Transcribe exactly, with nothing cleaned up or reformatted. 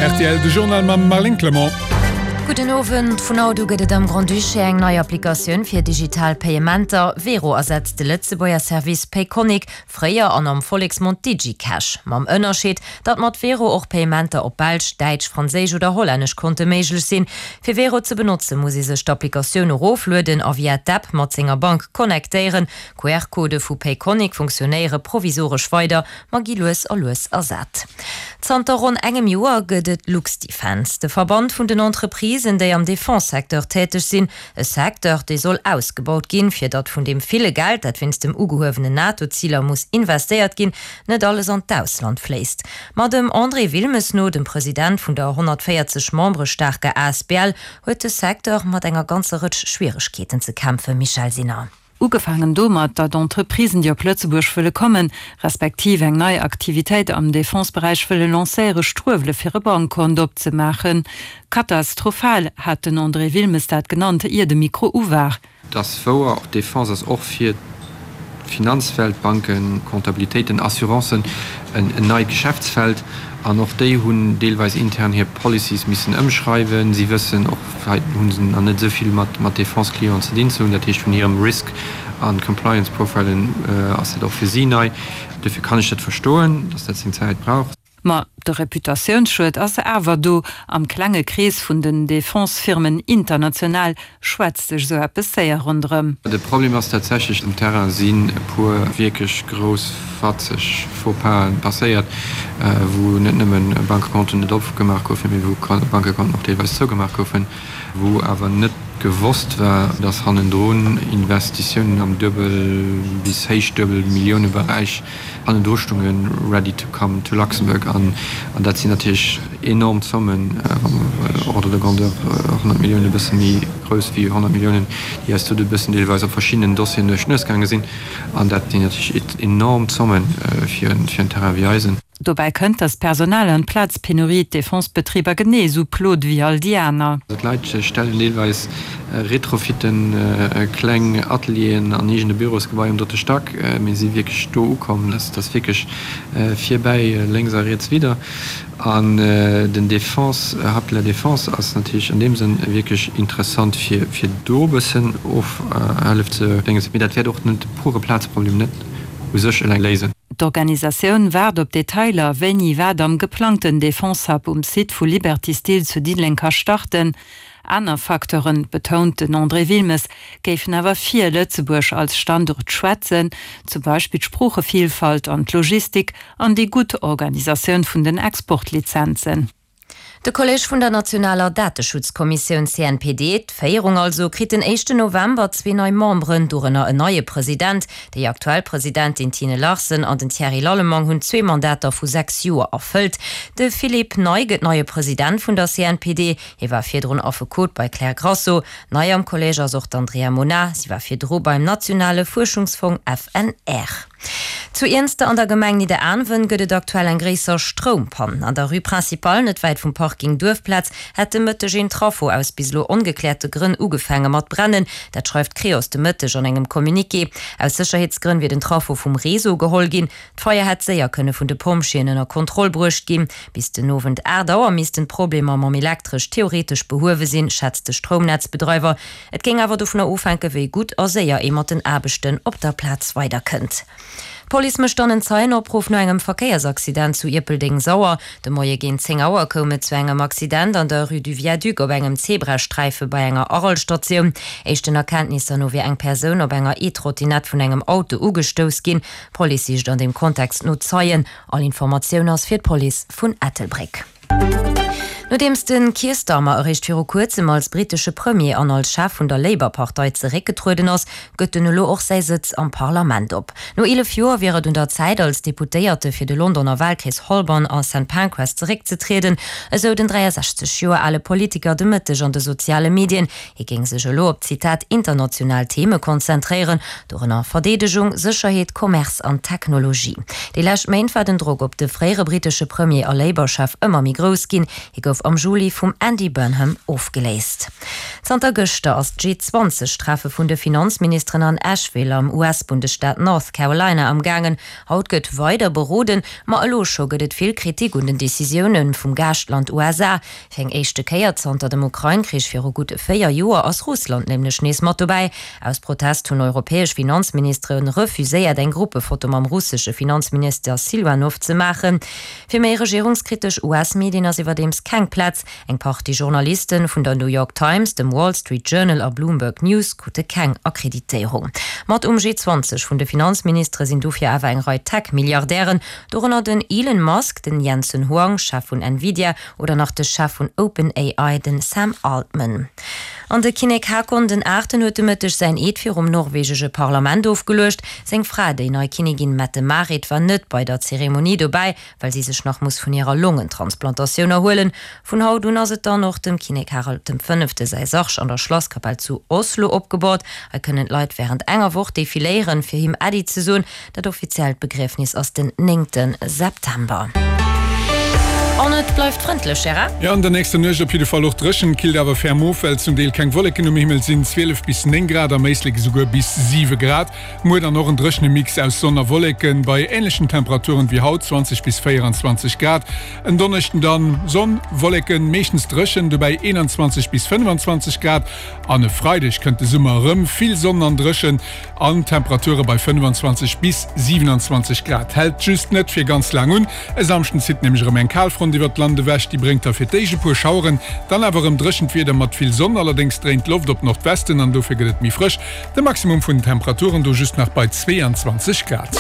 Rtl, de Journal mam Marlène Clement. Gudden Owend, Vun haut u gëtt et am Grand-Duché eng nei Applikatioun fir digital Payementer. Wero ersetzt de Lëtzebuerger Service Payconiq, fréier an am Volleksmond DigiCash. Mam Ënnerscheed, datt mat Wero och Payementer op belsch, däitsch, franséisch oder hollännesch Konte méiglech sinn. Fir Wero ze benotzen, muss ee sech d'Applikatioun eroflueden a via d'App mat senger Bank connectéieren. Q R-Codë vu Payconiq funktionéiere provisoresch weider, ma gi lues a lues ersat. Zanter ronn engem Joer gëtt et LuxDefense, de Verband vun den Entreprisen, déi am Defense-Secteur täteg sinn. E Secteur, dee soll ausgebaut ginn, fir datt vun deem ville Geld, dat wéinst dem ugehuewenen NATO-Ziler muss investéiert ginn, net alles an d'Ausland fléisst. Ma dem André Wilmes no, dem President vun der honnertvéierzeg Membere staarker A S B L, huet de Secteur mat enger ganzer Rëtsch Schwieregkeeten ze kämpfen. Michèle Sinner. Ugefaangen domat, datt Entreprisen, déi op Lëtzebuerg wëlle kommen, respektiv eng nei Aktivitéit am Defense-Beräich wëlle lancéieren, struewele fir e Bankkont opzemaachen. Katastrophal hat den André Wilmes dat genannt, ier de Mikro u war. Et ass wouer, och d'Defense ass och fir d'Finanzwelt, Banken, Comptabilitéiten, Assurancen, en neit Geschäftsfeld. An och déi hunn deelweis intern hir Policies missen ëmschreiwen. Si wëssen och, hei hu se nach net esou vill mat Defense-Clienten ze dinn ze hunn. Dat heescht, vun hirem Risk a Compliance-Profilen ass dat och fir si nei. Dofir kann ech dat verstoen, datt dat seng Zäit brauch. Ma de Reputatiounsschued ass awer do. Am klenge Krees vun den Defense-Firmen international schwätzt sech esou eppes séier ronderëm. De Problem ass tatsächlech, um Terrain sinn e puer wierklech grouss fatzeg Faux-pas'en passéiert, wou net nëmmen Bankekonten net opgemaach goufen, mee wou Bankekonten och deelweis zougemaach goufen, wou awer net gewosst war, dass hannendrun Investitiounen am Duebel bis héich Duebel-Milliouneberäich hannendru stungen, ready to come to Luxembourg. An dat sinn natierlech enorm Zommen, ordre de grandeur honnert Milliounen, e bësse méi grouss wéi honnert Milliounen, déi eis do e bëssen deelweis op verschiddenen Dossieren duerch d'Nues gaange sinn. An dat sinn natierlech enorm Zommen fir en Terrain wéi eisen. Dobäi kënnt, datt d'Personal an d'Plazpenurie d'Defense-Betriber genee esou plot wéi all déi aner. D'Leit stellen deelweis retrofitten kleng Atelieren an eegene Bürosgebaier um drëtte Stack. Mir si wierklech do ukomm, dass dass wierklech virbäi lénks a riets widder. An den Defense Hub de la Défense ass natierlech an deem Sënn wierklech interessant, fir fir do e bëssen Ofhëllef ze déngen. Mee dat wäert och de pure Plazproblem net u sech eleng léisen. D'Organisatioun waart op Detailer, wéini wat am geplangten Defense Hub um Site vu Liberty Steel zu Diddeleng ka starten. Aner Facteuren, betount den André Wilmes, géifen awer fir Lëtzebuerg als Standuert schwätzen, zum Beispill d'Sproochevillfalt an d'Logistik an déi gutt Organisatioun vun den Exportlizenzen. De Kolleg vun der nationaler Dateschutzkommissioun C N P D, d'Féierung also, kritt den éischten November zwee nei Memberen, dorënner en neie President. Déi aktuell Presidentin Tine Larsen an den Thierry Lallemang hunn zwee Mandater vu sechs Joer erfëllt. De Philippe Ney gëtt neie President vun der C N P D. Hie war virdrun Affekot bei Klär Grasso. Nei am Kolleg ass och d'Andrea Mona. Si war virdru beim nationale Fuerschungsfong F N R. Zu Iernster an der Gemeng Nidderaanwen gëtt et aktuell eng gréisser Stroumpann. An der Rue Principale, net wäit vum Parking Duerfplaz, hätt de Mëtteg een Trafo aus bis elo ongekläerte Grënn ugefaange mat brennen. Dat schreift d'Creos de Mëtteg an engem Communiqué. Aus Sécherheetsgrënn wier den Trafo vum Réseau geholl ginn. D'Feier hätt séier kënne vun de Pompjeeën ënner Kontroll bruecht ginn. Bis den Owend aacht Auer missten d'Problemer mam Elektresch theoretesch behuewe sinn, schätzt de Stroumnetzbedreiwer. Et géing awer dovunner ofhänken, wéi gutt a séier ee mat den Aarbechten op der Plaz weiderkënnt. D'Police mécht dann en Zeienopruff no engem Verkéiersaccident zu Ierpeldeng-Sauer. De Moie géint zéng Auer koum et zu engem Accident an der Rue du Viaduc op engem Zebrasträife bei enger Arel-Statioun. Éischten Erkenntnisser no wier eng Persoun op enger E-Trottinett vun engem Auto ugestouss ginn. D'Police sicht an deem Kontext no Zeien. All Informatioun ass fir d'Police vun Ettelbréck. Nodeems de Keir Starmer eréischt viru kuerzem als brittesche Premier an als Chef vun der Labour-Partei zeréckgetrueden ass, gëtt en elo och säi Sëtz am Parlament op. No eelef Joer wier et un der Zäit, als Deputéierte fir de Londoner Walkrees Holborn a Saint Pancras zeréckzetrieden, esou den dräiasechzeg Joer ale Politiker de Mëtteg an de soziale Medien. Hie géing sech elo op, Zitat, international Theme konzentréieren, dorënner Verdeedegung, Sécherheet, Commerce an Technologie. Déi lescht Méint war den Drock op de fréiere brittesche Premier a Labour-Chef ëmmer méi grouss ginn. Hie gouf am Juli vum Andy Burnham ofgeléist. Zanter gëschter ass d'G zwanzeg Treffe vun de Finanzministeren an Asheville am U S-Bundesstaat North Carolina am gaangen. Haut gëtt weider beroden, ma elo scho gëtt et vill Kritik un den Decisioune vum Gaaschtland U S A. Fir eng éischte Kéier zanter dem Ukrain-Krich viru gutt véier Joer ass Russland nämlech nees mat dobäi. Aus Protest hunn europäesch Finanzministere refuséiert eng Gruppefoto mam russesche Finanzminister Siluanov ze maachen. Fir méi regierungskritesch U S-Medien ass iwwerdeems keng Plaz. Eng Partie Journaliste vun der New York Times, dem Wall Street Journal a Bloomberg News krute keng Akkreditéierung. Mat um G zwanzeg vun de Finanzministere sinn dofir awer eng Rei Tech-Milliardären, dorënner den Elon Musk, den Jensen Huang, Chef vun Nvidia, oder nach de Chef vun OpenAI, den Sam Altman. An de Kinnek Haakon den Aachten huet de Mëtteg säin Eed virum norwegesche Parlament ofgeluecht. Seng Fra, déi nei Kinnigin Mette-Marit, war net bei der Zeremonie dobäi, well si sech nach muss vun hirer Longentransplantatioun erhuelen. Vun haut un ass et dann och dem Kinnek Harald dem Fënnefte säi Sarg an der Schlasskapell zu Oslo opgebohrt. Hei kënnen d'Leit wärend enger Woch defiléieren, fir him Äddi ze soen. Dat offiziellt Begriefnis ass den néngte September. An et bleift frëndlech, Gérard? Jo, an der nächster Nuecht op jidde Fall och dréchen, killt awer ferm of, well zum Deel keng Wolleken um Himmel sinn, zwielef bis néng Grad, am Éislek esouguer bis siwe Grad. Muer dann och en dréchene Mix aus Sonn a Wolleken bei änlechen Temperaturen wéi haut, zwanzeg bis véieranzwanzeg Grad. En Donneschden dann Sonn, Wolleken, meeschtens dréchen, dobäi eenanzwanzeg bis fënnefanzwanzeg Grad. An e Freideg kënnt de Summer erëm, vill Sonn an dréchen an Temperature bei fënnefanzwanzeg bis siwenanzwanzeg Grad. Hält just net fir ganz laang un, e Samschden zitt nämlech erëm eng Kalfront iwwert d'Land ewech, déi bréngt da fir d'éischt e puer Schaueren, dann awer erëm dréchent Wieder mat vill Sonn. Allerdéngs dréint d'Loft op Nordwesten an dofir gëtt et méi frësch. De Maximum vun den Temperaturen do just nach bei zweeanzwanzeg Grad.